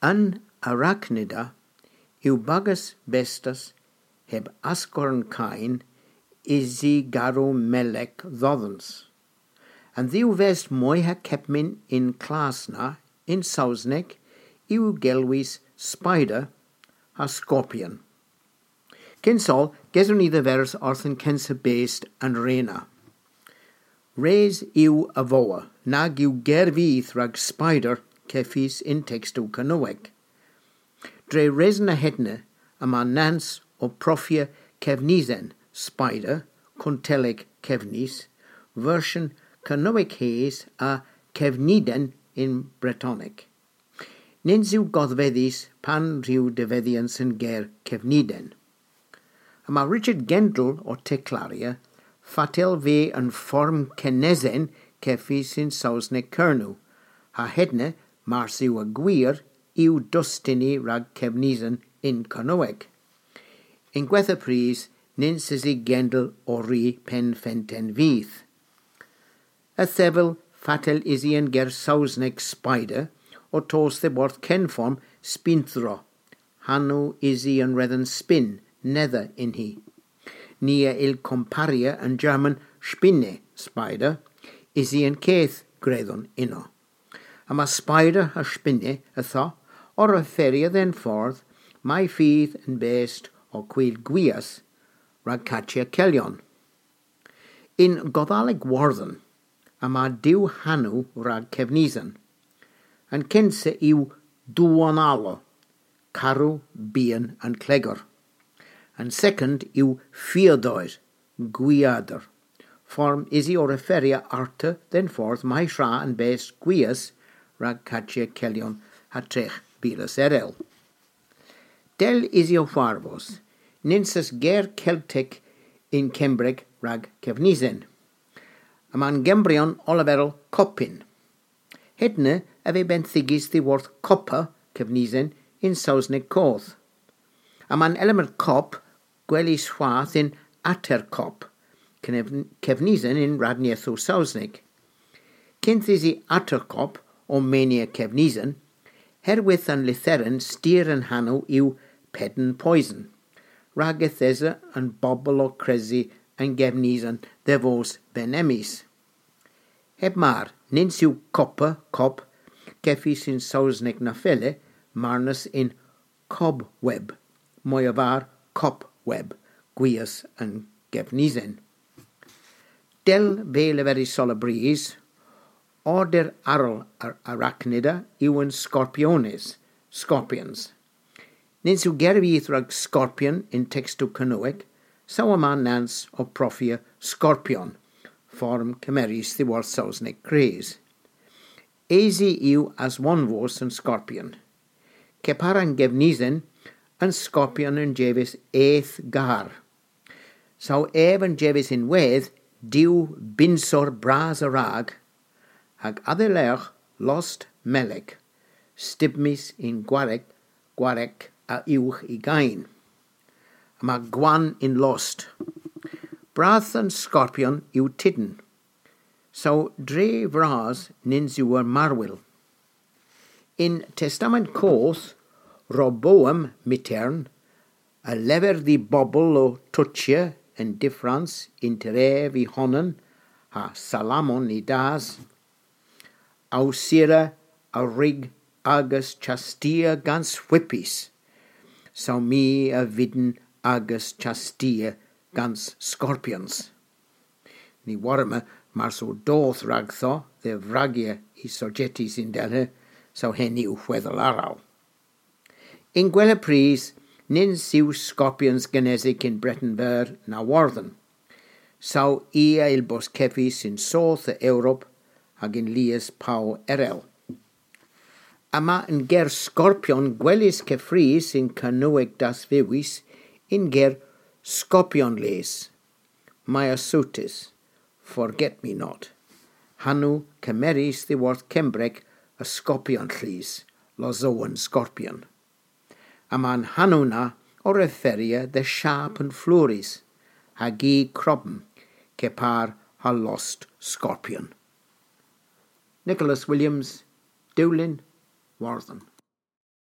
Yn arachnida yw bagus bestas heb asgwrn cain isi garw melec ddoddens. An ddiw vest moiha kepmin in Klasna in Sausneg yw gelwis spider a scorpion. Cynsol, geswn i ddyfers wrth yn kensa beest yn rena. Res yw y foa, nag yw gerfydd rhag spider ceffis in textw Cernyweg. Dre resna hedna yma nans o profia cefnisen spider, conteleg cefnis, version Cernyweg hes a cefniden in Bretonic. Nins yw goddfeddus pan rhyw defeddians yn ger cefniden. A mae Richard Gendl o Teclaria ffatel fe yn fform cenesen ceffis yn Saesneg Cernyw, a hedna mars yw y gwir yw dustini rhag cefnisen in Cernyweg. In gwetha pris, nins is i Gendl o ri pen fenten fydd. Y thefel fatel is i yn ger Saesneg spider o tos the borth cenform spinthro. Hanw is i yn redden spin, nether in hi. Nia il comparia yn German spinne, spider, is i yn ceth greddon uno. A mae spider a spinne ytho o'r referia den ffordd mae ffydd yn best o cwyl gwias rhag catia celion. In Goddaleg Warthen, a mae diw hanw rhag cefnisen. Yn cynsa yw duanalo, carw, bian yn clegor. Yn second yw ffiadoer, gwiadr. Form isi o referia arta den ffordd mae rha yn best gwias rhag catia celion a trech bilas erel. Del isi o farfos, ninsas ger Celtic in Cembreg rhag cefnisen. A ma'n Gembrion oliferol copin. Hedna a fe benthigis ddiworth coppa cefnisen in Saesneg coth. A ma'n element cop gwelis chwath in atercop, cefnisen in radniaethw Saesneg. Cynth isi atercop o mania cefnisen, herwydd yn lytheren styr yn hanw yw pedn poison. Rhag ethesa yn bobl o cresi yn gefnisen ddefos benemis. Heb mar, nins yw copper, cop, ceffis yn Saesneg na fele, marnus in cobweb, mwy o far copweb, gwias yn gefnisen. Del fe leferi sol y bris, order arol ar arachnida yw yn scorpiones, scorpions. Nins yw gerfydd rhag scorpion in textw Cernyweg, saw yma nans o profia scorpion, fform cymeris ddiworth Saesneg cres. Eisi yw as one yn scorpion. Ceparan gefnisen yn scorpion yn jefus eth gar. Saw ef yn jefus in wedd, diw binsor bras y rag, hag addelech lost melec, stibmis in gwarek, gwarek a uwch i gain. A mae gwan in lost. Brath yn scorpion yw tidyn. So dre fras nins yw yr marwyl. In Testament Coth, Roboam mitern, a lefer di bobl o twtsia yn diffrans inter ef i honan, ha Salamon i das, awsira a rig agus chastia gans whippis, saw mi a fidden agus chastia gans scorpions. Ni warma mar so doth ragtho the vragia i sogetis in delhe, so hen yw weddol aral. In gwella pris, nins yw scorpions genesic in Breton Ver na Warthen. Saw ia il bos ceffis in South Europe hag in lias pau erel. Yma yn ger scorpion gwelis ceffris in Cernyweg das fewis in ger scorpion les. Myosotis, forget me not. Hanw cymeris ddiworth Cembreg y scorpion llys, lozoan scorpion. A ma'n hanw na o referia the sharp and fluris, hag i crobm, cepar ha lost scorpion. Nicholas Williams, Dulin, Warthen.